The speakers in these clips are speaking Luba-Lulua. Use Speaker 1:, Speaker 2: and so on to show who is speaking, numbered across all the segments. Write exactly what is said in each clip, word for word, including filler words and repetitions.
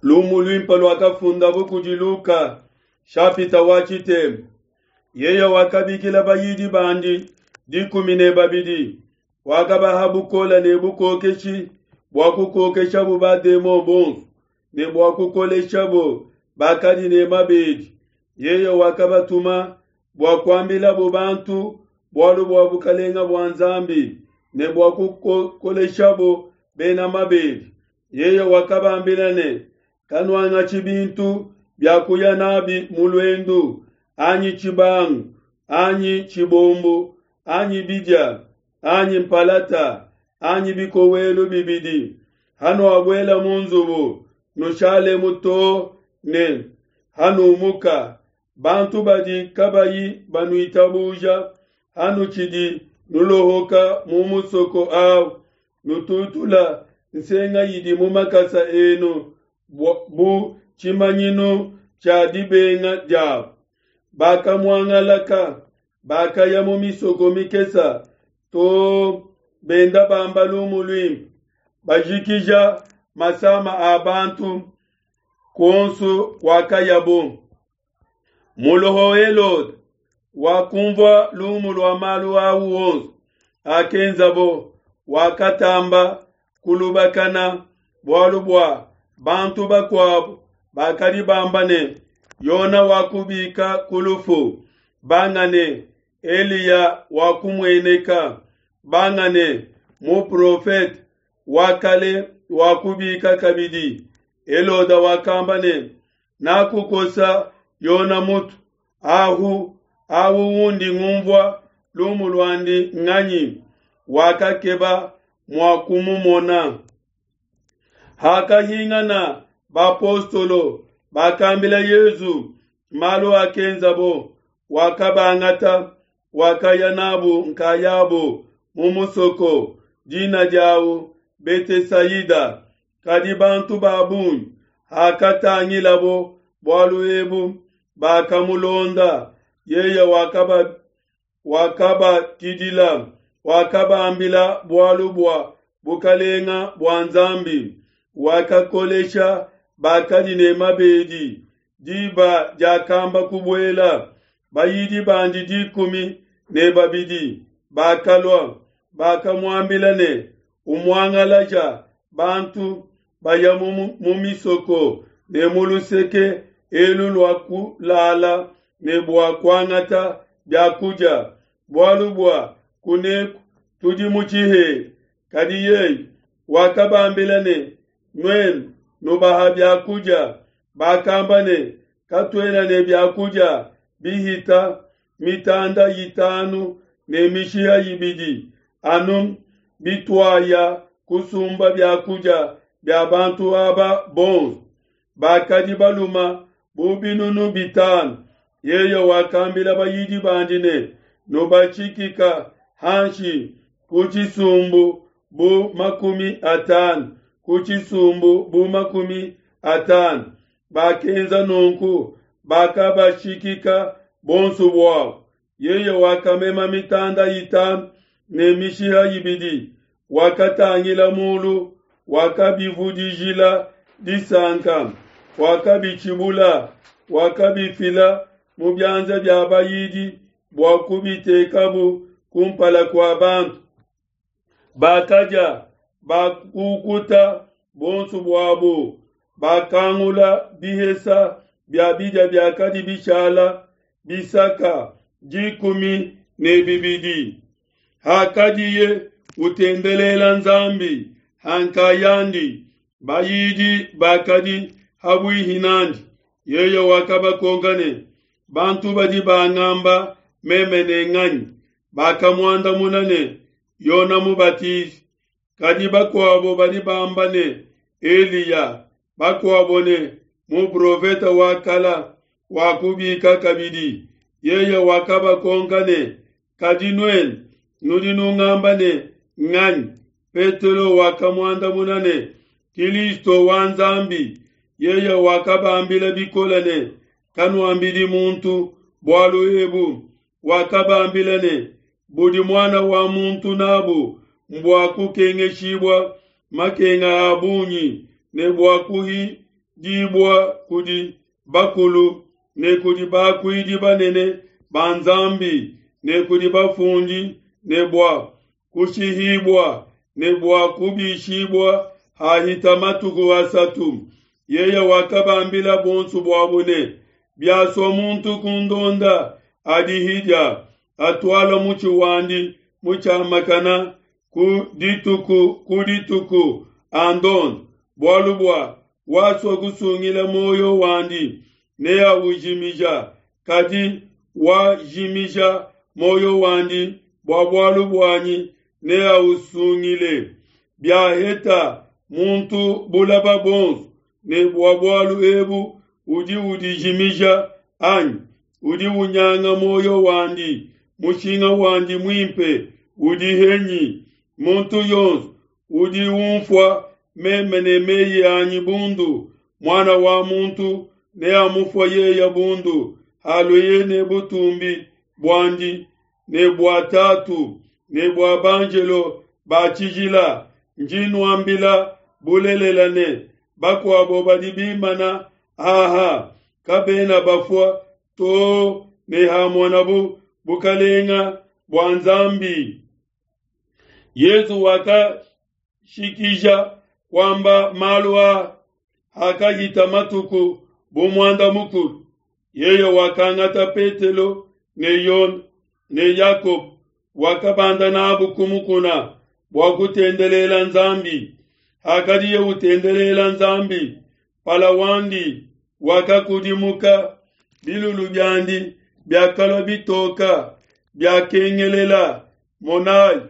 Speaker 1: Lumu luimpe luakafundabo kudi Luka, shapita wa tshitema. Yeye wakabikila bayidi bandi dikumi ne babidi, wakabaha bukole ne bukokeshi bua kukokeshabo bademon bonso ne bua kukoleshabo bakadi ne mabedi. Yeye wakabatuma bua kuambilabo bantu bualu bua bukelenge bua Nzambi ne bua kukoleshabo bena mabedi. Yeye wakabambila ne, kanuangatshi bintu bia kuya nabi mu luendu, anyi tshibangu, anyi tshibombo, anyi bidia, anyi mpalata, anyi bikowelu bibidi. Hanuabuela mu nzubu, nushalemu too ne hanumuka. Bantu badi kabayi banuitabuja, hanutshidi nulohoka mu musoko au, nututula nsenga idi mu makasa enu bu tshimanyinu tshia dibenga diabo. Bakamuangalaka, bakaya mu misoko mikese to benda bamba lumu luimpe, bajikija masama a bantu kuonso kwakayabo. Muloho Helode wakumvua lumu lua malu au onso akenzabo, wakatamba kulubakana bualu bua bantu bakuabo bakadi bamba ne, Yona wakubika ku lufu, banga ne, Eliya wakumueneka, banga ne, muprofete wa kale wakubika kabidi. Helode wakamba ne, nakukosa Yona mutu, ahu awu undi ngumvua lumu luandi nganyi? Wakakeba mua kumumona. Hakahingana bapostolo, bakambila Yesu malu akenzabo. Wakabangata, wakaya nabo nkayabo mu musoko dina diawu Betesaida. Kadi bantu ba bungi hakatangilabo bualu ebu, bakamulonda. Yeye wakaba wakabakidila, wakabambila bualu bua bukalenga bua Nzambi, wakakolesha bakadi ne mabedi. Diba diakamba kubuela, bayidi bandi dikumi ne babidi bakalua, bakamuambila ne, umuangalaja bantu baya mu misoko ne mu luseke elu lua kulala ne bua kuangata biakudia, bualu bua kuneku tudi mu tshihela. Kadi yeye wakabambila ne, nuenu nubaha biakudia. Bakamba ne, katuena ne biakudia bihita mitanda itanu ne mishiha ibidi, anu bituaya kusumba biakudia bia bantu aba bonso. Bakadi baluma bu binunu bitanu. Yeye wakambila bayidi bandi ne, nubatshikika hanshi ku tshisumbu bu makumi atanu, ku tshisumbu bu makumi atanu. Bakenza nunku, bakabashikika bonso buabo. Yeye wakamema mitanda itanu ne mishiha ibidi, wakatangila mulu, wakabivudijila disanka, wakabitshibula, wakabifila mu bianza bia bayidi bua kubitekabu kumpala kua bantu. Bakadia, bakukuta bonso buabo, bakangula bihesa bia bidia biakadi bishala bisaka dikumi ne bibidi. Hakadiye utendelela Nzambi hankayandi, bayidi bakadi habuihi nandi. Yeye wakabakonka ne, bantu badi bangamba meme ne nganyi? Bakamuandamuna ne, Yona Mubatizi. Kadi bakuabo badi bamba ne, Eliya, bakuabo ne, muprofete wa kala wakubika kabidi. Yeye wakabakonka ne, kadi nuenu nudi nungamba ne nganyi? Petelo wakamuandamuna ne, Kilisto wa Nzambi. Yeye wakabambila bikole ne, kanuambidi muntu bualu ebu. Wakabambila ne, budi muana wa muntu nabu mbua kukengeshibua makenga a bungi ne bua kufidibua kudi bakulu ne kudi bakuidi banene ba Nzambi ne kudi bafundi, ne bua kushihibua ne bua kubishibua hahita matuku asatu. Yeye wakabambila bonso buabo ne, biasua muntu kundonda, adihidia, atuala mutshi wandi mutshiamakana ku dituku ku dituku, andonde. Bualu bua wasua kusungila moyo wandi neawujimija, kadi wajimija moyo wandi bua bualu buanyi neawusungile. Biaheta muntu bulaba bonso ne bua bualu ebu udi udijimija anyi udi unyanga moyo wandi, mushinga wandi muimpe udi henyi? Muntu yonso udi unfua meme ne meyi anyi bundu, Muana wa muntu neamufua yeye bundu, halueye ne butumbi buandi ne bua Tatu ne bua banjelo ba tshijila. Ndi nuambila bulelela ne, bakuabo badi bimana aha kabena bafua to ne hamonabu bukalenga bua Nzambi. Yesu wakashikija kwamba malu a hakahita matuku bu muanda mukulu. Yeye wakangata Petelo ne Yone ne Yakobo, wakabanda nabu ku mukuna bua kutendelela Nzambi. Hakadiye utendelela Nzambi, pala wandi wakakudimuka, bilulu biandi biakalua bitoka, biakengelela. Monai,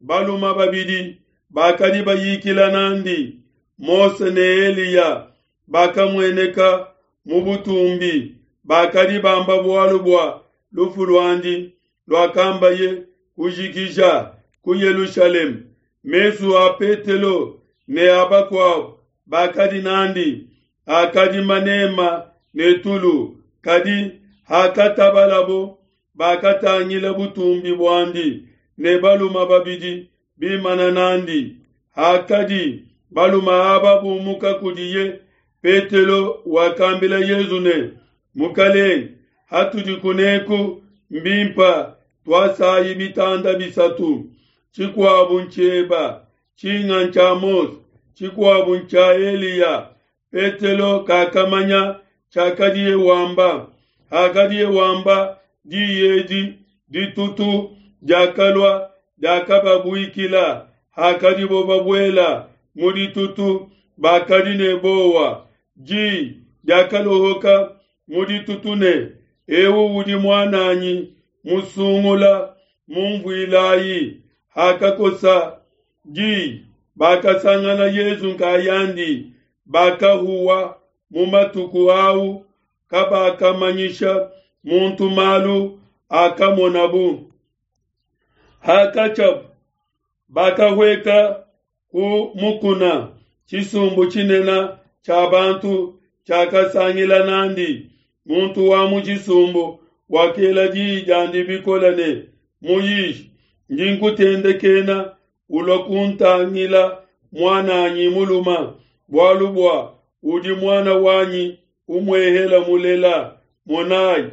Speaker 1: baluma babidi bakadi bayikila nandi, Mose ne Eliya, bakamueneka mu butumbi, bakadi bamba bualu bua lufu luandi luakambaye kujikija ku Yelushalema. Mesu a Petelo ne a bakuabo bakadi nandi akadi manema ne tulu, kadi hakatabalabo bakatangila butumbi buandi ne baluma babidi bimana nandi. Hakadi baluma aba bumuka kudiye, Petelo wakambila Yesu ne, Mukalenge, hatudi kuneku mbimpa tuasayi bitanda bisatu, tshikuabu ntshieba, tshinga ntshia Mose, tshikuabu ntshia Eliya. Petelo kakamanya tshiakadiye wamba. Hakadiye wamba diyi edi, ditutu diakalua diakababuikila. Hakadibo babuela mu ditutu, bakadi ne bowa. Diyi diakalohoka mu ditutu ne, ewu udi muananyi musungula, mumvuilayi. Hakakosa diyi, bakasangana Yesu nkayandi. Bakahuwa mu matuku au, kabakamanyisha muntu malu akamonabu. Hakatshiabu bakahueka ku mukuna, tshisumbu tshinene tshia bantu tshiakasangila nandi. Muntu wa mu tshisumbu wakela diyi diandi bikole ne, Muyishi, ndi nkutendekena ulua kuntangila muananyi muluma, bualu bua udi muana wanyi umuehela mulela. Monai,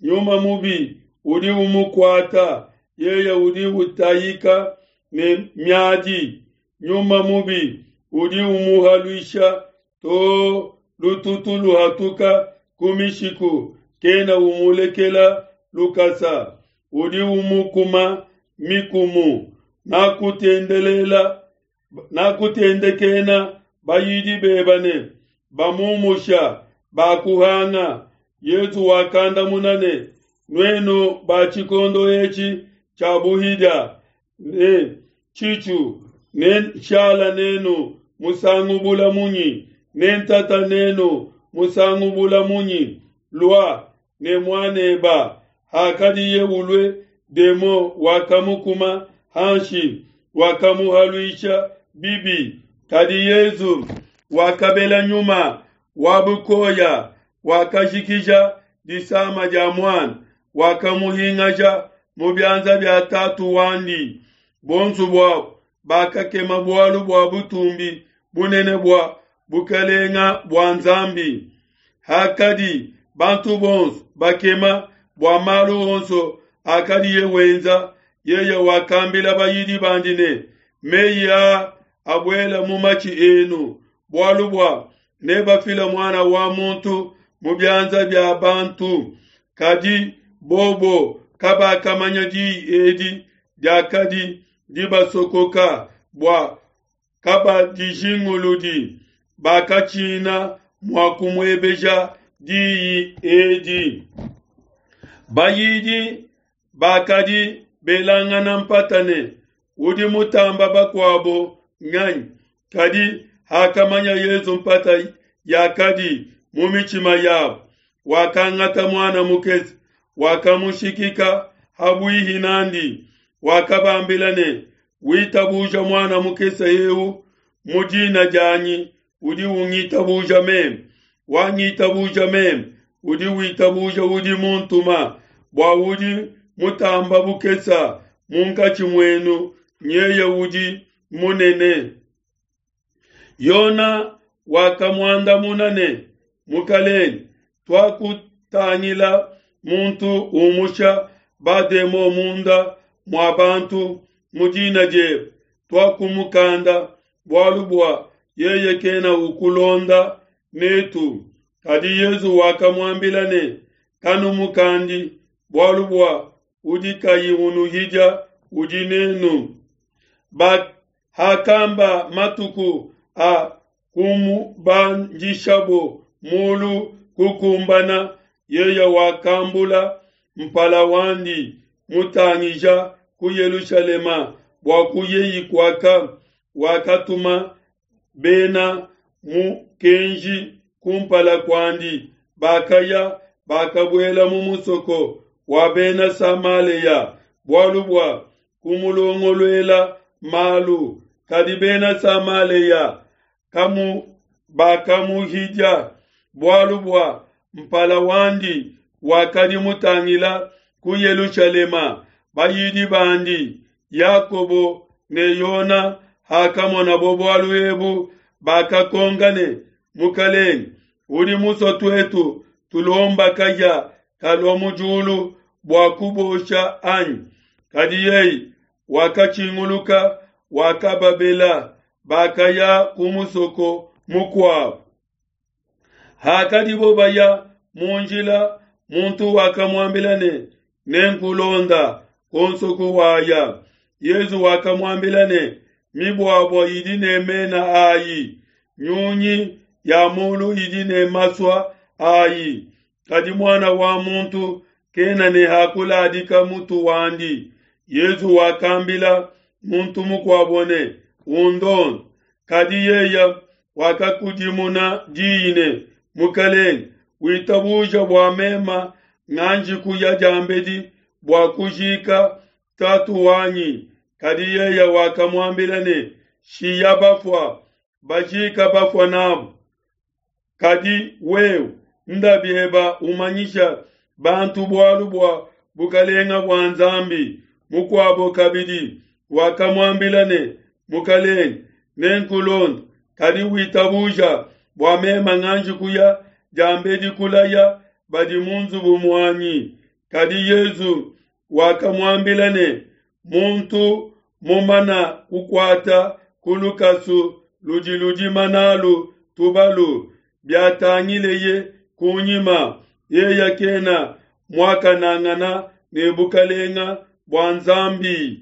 Speaker 1: nyuma mubi udi umukuata, yeye udi utayika ne miadi. Nyuma mubi udi umuhaluisha to lututu luhatuka ku mishiku, kena umulekela lukasa, udi umukuma mikumu. Nakutendelela nakutendekena bayidi beba ne bamumusha bakuhanga. Yesu wakandamuna ne, nuenu ba tshikondo etshi tshia buhidia ne tshitshu, ne nshala nenu musangu bula munyi, ne ntata nenu musangu bula munyi? Lua ne muaneba. Hakadiye ulue, demo wakamukuma hanshi, wakamuhaluisha bibi. Kadi Yesu wakabela nyuma wa bukoya, wakajikija disama dia muana, wakamuhingaja mu bianza bia tatu wandi. Bonso buabo bakakema bualu bua butumbi bunene bua bukalenga bua Nzambi. Hakadi bantu bonso bakema bua malu onso akadiye wenza, yeye wakambila bayidi bandi ne, meyi aa abuela mu matshi enu, bualu bua nebafile muana wa muntu mu bianza bia bantu. Kadi bobo kabakamanya diyi edi diakadi dibasokoka, bua kabadijinguludi, bakatshina mua kumuebeja diyi edi. Bayidi bakadi belangana mpata ne, udi mutamba bakuabo nganyi? Kadi hakamanya Yesu mpata yakadi mu mitshima yabo, wakangata muana mukese, wakamushikika habuihi nandi, wakabambila ne, witabuja muana mukese eu mu dina dianyi udi ungitabuja meme, wangitabuja meme udi witabuja udi muntuma, bua udi mutamba bukesa munkatshi muenu nyeye udi munene. Yona wakamuandamuna ne, Mukalenge, tuakutangila muntu umusha bademo munda mua bantu mu dina diebe, tuakumukanda, bualu bua yeye kena ukulonda netu. Kadi Yesu wakamuambila ne, kanumukandi, bualu bua udi kayi unuhidia udi nenu. Ba hakamba matuku a kumubandishabo mulu kukumbana, yeye wakambula mpala wandi mutangija ku Yelushalema bua kuyeyi kuaka, wakatuma bena mukenji kumpala kuandi, bakaya bakabuela mu musoko wa bena Samalea bualu bua kumulongoluela malu. Kadi bena Samalea kamu bakamuhidia, bualu bua mpala wandi wakadi mutangila ku Yelushalema. Bayidi bandi Yakobo ne Yona hakamonabo bualu ebu, bakakonka ne, Mukalenge, udi musue tuetu tulomba kahia kalua mu diulu bua kubosha anyi? Kadi yeye wakatshinguluka, wakababela, bakaya ku musoko mukuabo. Hakadibo baya mu njila, muntu wakamuambila ne, nenkulonda konso kuwaya. Yesu wakamuambila ne, mibuabua idi ne mena ayi, nyunyi ya mulu idi ne masua ayi, kadi muana wa muntu kena ne hakuladika mutu wandi. Yesu wakambila muntu mukuabo ne, undonde. Kadi yeye wakakudimuna diyi ne, Mukalenge, witabuja bua mema nganji kuya diambedi bua kujika tatu wanyi. Kadi yeye wakamuambila ne, shiya bafua bajika bafua nabo, kadi wewe nda bieba umanyisha bantu bualu bua bukalenga bua Nzambi. Mukuabo kabidi wakamuambila ne, Mukalenge, nenkulonde, kadi witabuja bua mema nganji kuya diambedi kulaya badi mu nzubu muanyi. Kadi Yesu wakamuambila ne, muntu mumana kukuata ku lukasu ludi ludima nalu tubalu, biatangileye kunyima, yeye kena muakanangana ne bukalenga bua Nzambi.